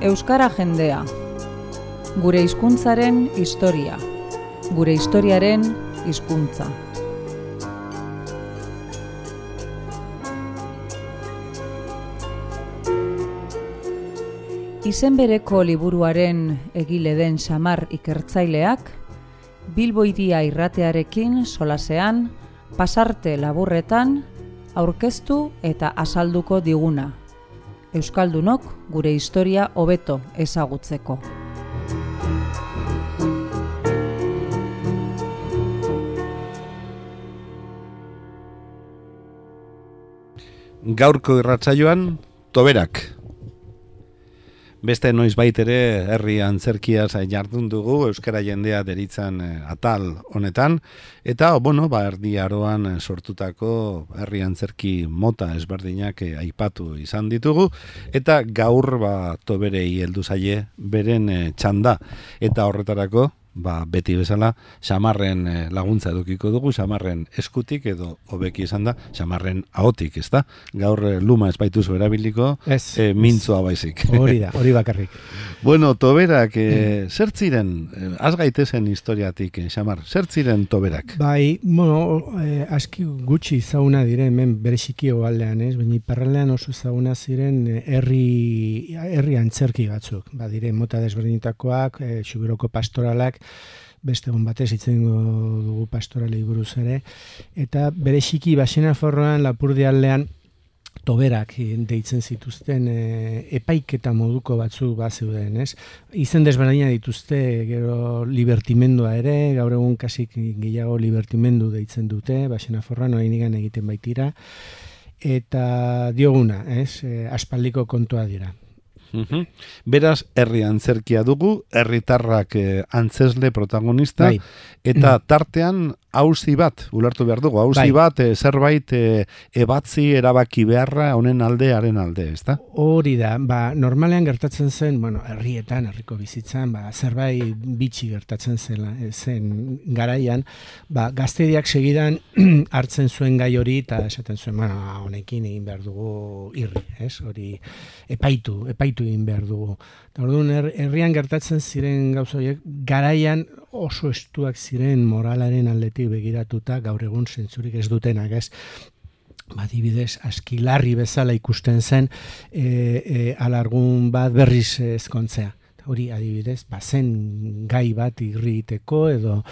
Euskara jendea. Gure hizkuntzaren historia. Gure historiaren hizkuntza. Izen bereko liburuaren egile den Xamar ikertzaileak, Bilbo Hiria irratearekin solasean, pasarte laburretan, aurkeztu eta azalduko diguna. Euskaldunok gure historia hobeto ezagutzeko. Gaurko irratsaioan, toberak. Beste noizbait ere herri antzerkiaz jardun dugu euskara jendea deritzan atal honetan eta erdi aroan sortutako herri antzerki mota ezberdinak aipatu izan ditugu eta gaur toberei heldu zaie beren txanda eta horretarako beti bezala Xamarren laguntza edukiko dugu, Xamarren eskutik edo hobeki esan da, Xamarren ahotik, ezta? Gaur luma ez baituzu erabiliko, mintzua baizik. Hori bakarrik. Bueno, toberak, zer ziren, az gaitezen historiatik, Xamar, zer ziren toberak? Aski gutxi zauna dire hemen bereziki aldean, baina iparraldean oso zauna ziren herri antzerki batzuk, dire mota desberdinetakoak, Xuberoko pastoralak, beste egun batez hitzen dugu pastoralei buruz ere, eta bereziki Baxenaforroan Lapurdi aldean toberak deitzen zituzten epaiketa moduko batzuk zeuden, ez? Izen desberdina dituzte, gero libertimendua ere, gaur egun kasik gehiago libertimendu deitzen dute, Baxenaforroan oraindik egiten baitira, eta dioguna, ez? Aspaldiko kontua dira. Beraz, herri antzerkia dugu, herritarrak antzesle protagonista, eta tartean auzi bat, ulertu behar dugu, auzi bat, zerbait ebatzi erabaki beharra honen haren alde, ezta? Hori da, normalean gertatzen zen, herrietan, herriko bizitzan, zerbait bitxi gertatzen zen garaian, gaztediak segidan hartzen zuen gai hori, eta esaten zuen, honekin egin behar dugu irri, ez? Hori epaitu egin behar dugu. Orduan, herrian gertatzen ziren gauza horiek, garaian oso estuak ziren moralaren aldetik begiratuta, gaur egun zentzurik ez dutenak, ez? Adibidez, askilarri bezala ikusten zen alargun bat berriz ezkontzea. Hori adibidez, zen gai bat irriteko edo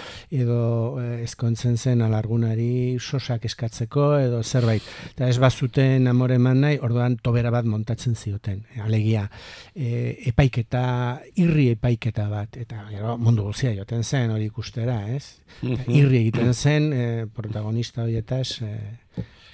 ezkontzen zen alargunari sosak eskatzeko edo zerbait. Eta ez bazuten amore eman nahi, orduan tobera bat montatzen zioten. Alegia, irri epaiketa bat. Eta gero mundu guzia joten zen hori ikustera, ez? Irri egiten zen protagonista horietaz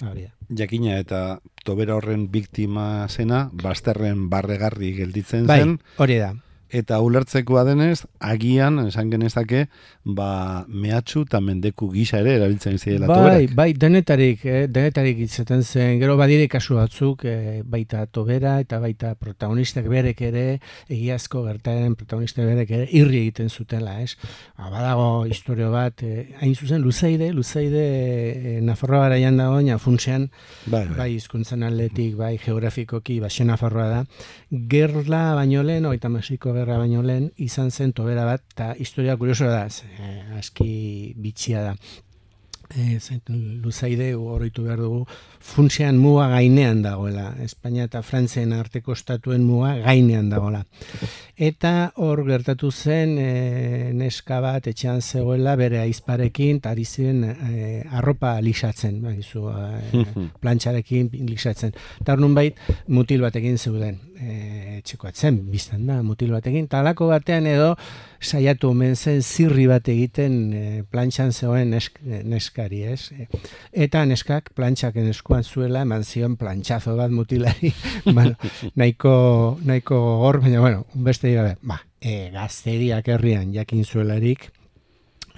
hori da. Jakina eta tobera horren biktima zena, bazterren barregarri gelditzen zen. Hori da. Eta ulertzekoa denez, agian, esan genezake, mehatxu eta mendeku gisa ere erabiltzen zirela toberak. Denetarik izaten zen, gero badire kasu batzuk, baita tobera eta baita protagonistak berek ere, egiazko gertaeren protagonistak berek ere, irri egiten zutela, ez? Badago historio bat, hain zuzen, Luzeide, Nafarroa garaian dago, funtsean, hizkuntzan aldetik, geografikoki, Baxenafarroa da, gerla baino lehen, gerra baino lehen, izan zen tobera bat, eta historia kurioso da, aski bitxia da. Luzaide, oroitu behar dugu, funtsean muga gainean dagoela, Espainia eta Frantzien arteko estatuen muga gainean dagoela. Eta hor gertatu zen neska bat etxean zegoela bere ahizparekin, eta ari ziren arropa lixatzen, plantxarekin lixatzen. Eta hor nunbait mutil batekin zeuden, etxeko atzen, biztan da, mutil batekin, eta halako batean edo saiatu omen zen zirri bat egiten plantxan zegoen neskari, ez? Eta neskak plantxaken eskuan zuela, eman zion plantxazo bat mutilari, nahiko gogor, baina, beste gabe, gazteriak herrian jakin zuelarik,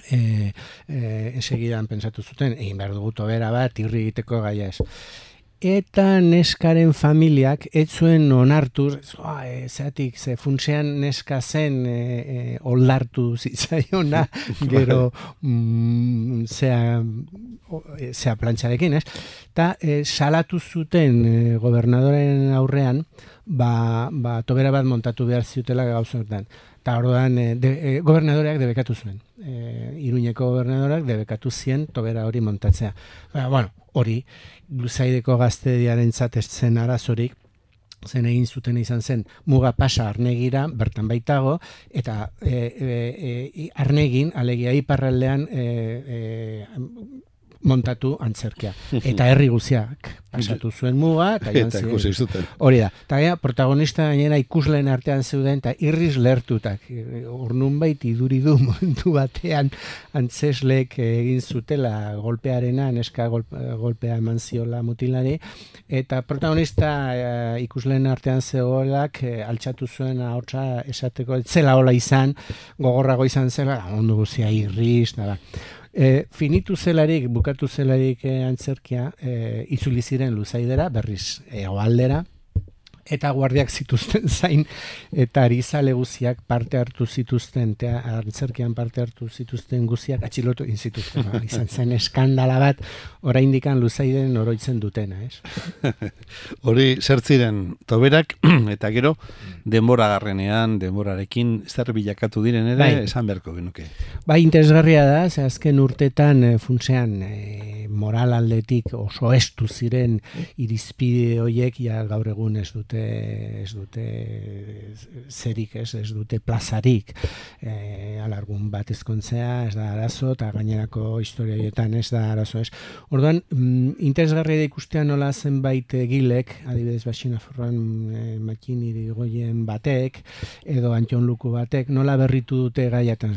segidan pentsatu zuten, egin behar dugu tobera bat, irri egiteko gaia ez. eta neskaren familiak ez zuen onartu, zeatik, ze funtsean neska zen oldartu zitzaiona, gero zea plantxarekin, ez? Eta salatu zuten gobernadoren aurrean, tobera bat montatu behar ziutela gauzotan. Eta orduan, gobernadoreak debekatu zuen. Iruñeko gobernadoreak debekatu zien tobera hori montatzea. Hori, Luzaideko gaztediarentzat ez zen arazorik, zen egin zuten izan zen muga pasa Arnegira, bertan baitago, eta Arnegin, alegia iparraldean montatu antzerkia. Eta herri guziak pasatu zuen muga, eta ikusi zuten. Hori da. Eta protagonista gainera ikusleen artean zeuden, eta irriz lertutak. Ornunbait iduridu momentu batean antzeslek egin zutela golpearena, neska golpea eman ziola mutilari, eta protagonista ikusleen artean zegoelak altxatu zuen ahotsa esateko, etzela hola izan, gogorrago izan zela, ondo guzia irriz, finitu zelarik, bukatu zelarik antzerkia, itzuli ziren Luzaidera, berriz hegoaldera, eta guardiak zituzten zain, eta arizale guziak parte hartu zituzten, antzerkian parte hartu zituzten guziak atxilotu inzituzten. Izan zen eskandala bat, oraindikan Luzaiden oroitzen dutena, ez? Hori zertziren toberak, eta gero, denboragarrenean, denborarekin, zer bilakatu diren ere, esan beharko genuke. Interesgarria da, ze azken urtetan funtsean moral aldetik oso estu ziren irizpide horiek, ja gaur egun ez dute zerik, ez dute plazarik. Alargun bat ezkontzea, ez da arazo, eta gainerako historia horietan ez da arazo, ez. Orduan, interesgarria da ikustea nola zenbait egilek, adibidez Baxina Forran Makin Irigoyen batek, edo Antion Luku batek, nola berritu dute gaiatan.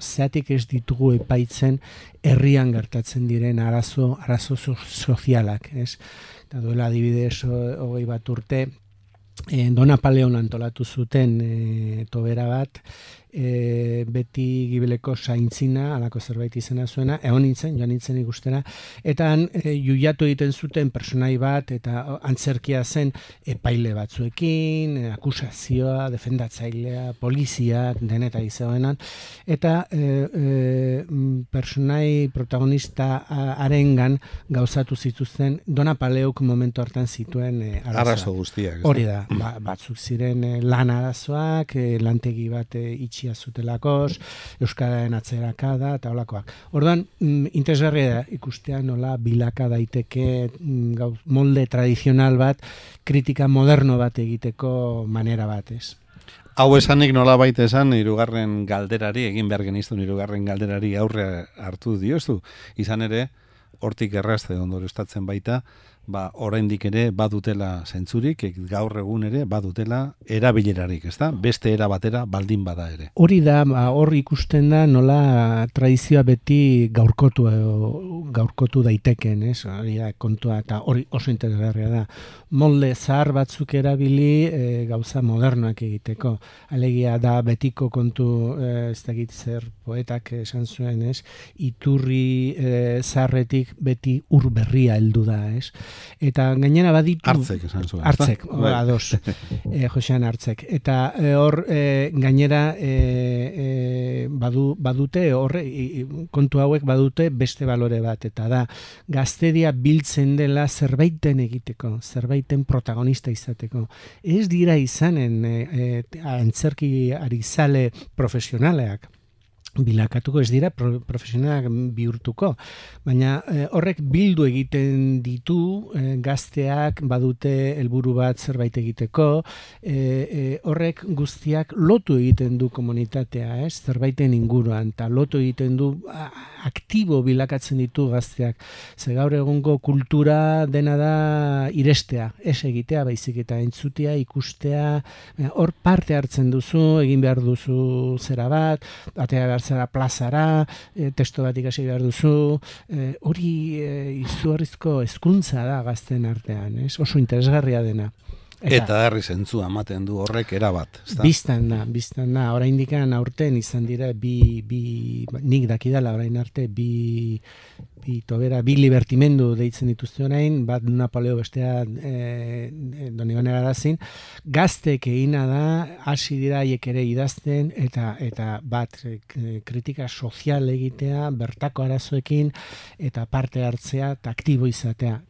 Zeatik ez ditugu epaitzen herrian gertatzen diren arazo sozialak, ez? Eta duela adibidez 20 bat urte, Don Apaleon antolatu zuten tobera bat, beti gibeleko zaintzina, alako zerbait izena zuena, joan nintzen ikustera, eta juiatu egiten zuten personai bat, eta antzerkia zen epaile batzuekin, akusazioa, defendatzailea, poliziak, deneta izagoenan, eta personai protagonista arengan gauzatu zituzten Don Apaleuk momentu hartan zituen arazo guztiak. Hori da, batzuk ziren lan arazoak, lantegi bat itxi zutelakos, euskararen atzerakada eta holakoak. Orduan, interesgarria da ikustea nola bilaka daiteke molde tradizional bat, kritika moderno bat egiteko manera bat, ez? Hau esanik nola baita esan, hirugarren galderari, egin behar geniztun hirugarren galderari aurre hartu diozu. Izan ere, hortik errazte ondorioztatzen baita, oraindik ere badutela zentzurik, gaur egun ere badutela erabilerarik, ezta? Beste era batera baldin bada ere. Hori da, hor ikusten da nola tradizioa beti gaurkotu daiteken, ez? Hori da, kontua, eta hori oso interesgarria da. Molde zahar batzuk erabili gauza modernoak egiteko. Alegia da betiko kontu, ez dakit zer poetak esan zuen, ez? Iturri zaharretik beti ur berria heldu da, ez? Eta gainera baditu... Hartzek esan zuen. Hartzek, ados, Josean Hartzek. Eta hor gainera badute, kontu hauek badute beste balore bat, eta da, gaztedia biltzen dela zerbaiten egiteko, zerbaiten protagonista izateko. Ez dira izanen antzerki arizale profesionaleak, bilakatuko, ez dira profesionalak bihurtuko, baina horrek bildu egiten ditu, gazteak badute helburu bat zerbait egiteko, horrek guztiak lotu egiten du komunitatea, zerbaiten inguruan, eta lotu egiten du aktibo bilakatzen ditu gazteak. Ze gaur egungo kultura dena da irestea, ez egitea, baizik eta entzutea, ikustea, hor parte hartzen duzu, egin behar duzu zera bat, atea behar zara plazara, testo bat ikasi behar duzu, hori izugarrizko hezkuntza da gazten artean, oso interesgarria dena. Eta herri zentzua ematen du horrek erabat. Biztan da, oraindik aurten izan dira nik dakidala orain arte bi tobera, bi libertimendu deitzen dituzte orain, bat Napoleo bestea Donibane Garazin, gaztek egina da, hasi dira haiek ere idazten, eta bat kritika sozial egitea, bertako arazoekin, eta parte hartzea, eta aktibo izatea.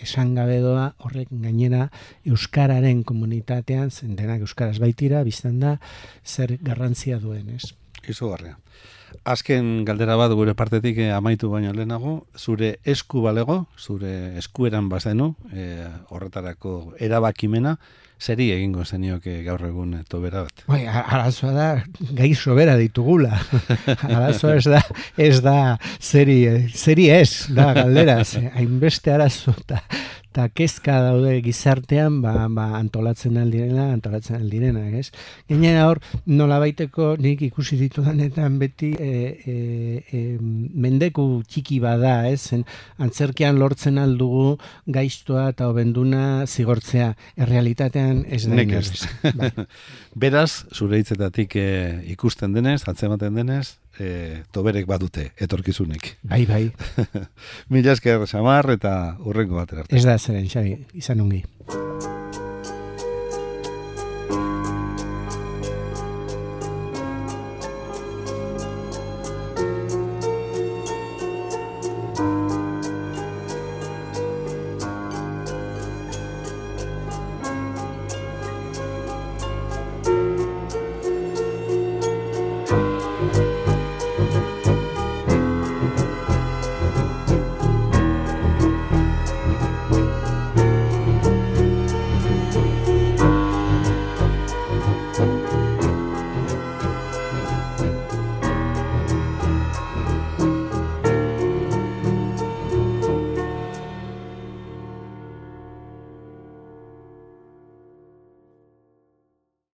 Esan gabe doa, horrek gainera euskararen komunitatean, zen denak euskaraz baitira, biztan da, zer garrantzia duen, ez? Izugarria. Azken galdera bat gure partetik amaitu baino lehenago, zure esku balego, zure eskueran bazenu, horretarako erabakimena, zeri egingo zenioke gaur egun tobera bat? Arazoa da, gai sobera ditugula. Arazoa ez da zeri ez, da galdera, hainbeste arazo eta kezka daude gizartean, antolatzen aldirena, ez? Gainera hor, nolabaiteko nik ikusi ditudanetan beti mendeku txiki bada, ez? Antzerkian lortzen aldugu gaiztoa eta obenduna zigortzea. Errealitatean ez da inez. Beraz, zure hitzetatik ikusten denez, atzematen denez, toberek badute, etorkizunek. Bai. Mila esker, Samar, eta hurrengo batera arte. Ez da zeren, Xabi, izan ongi.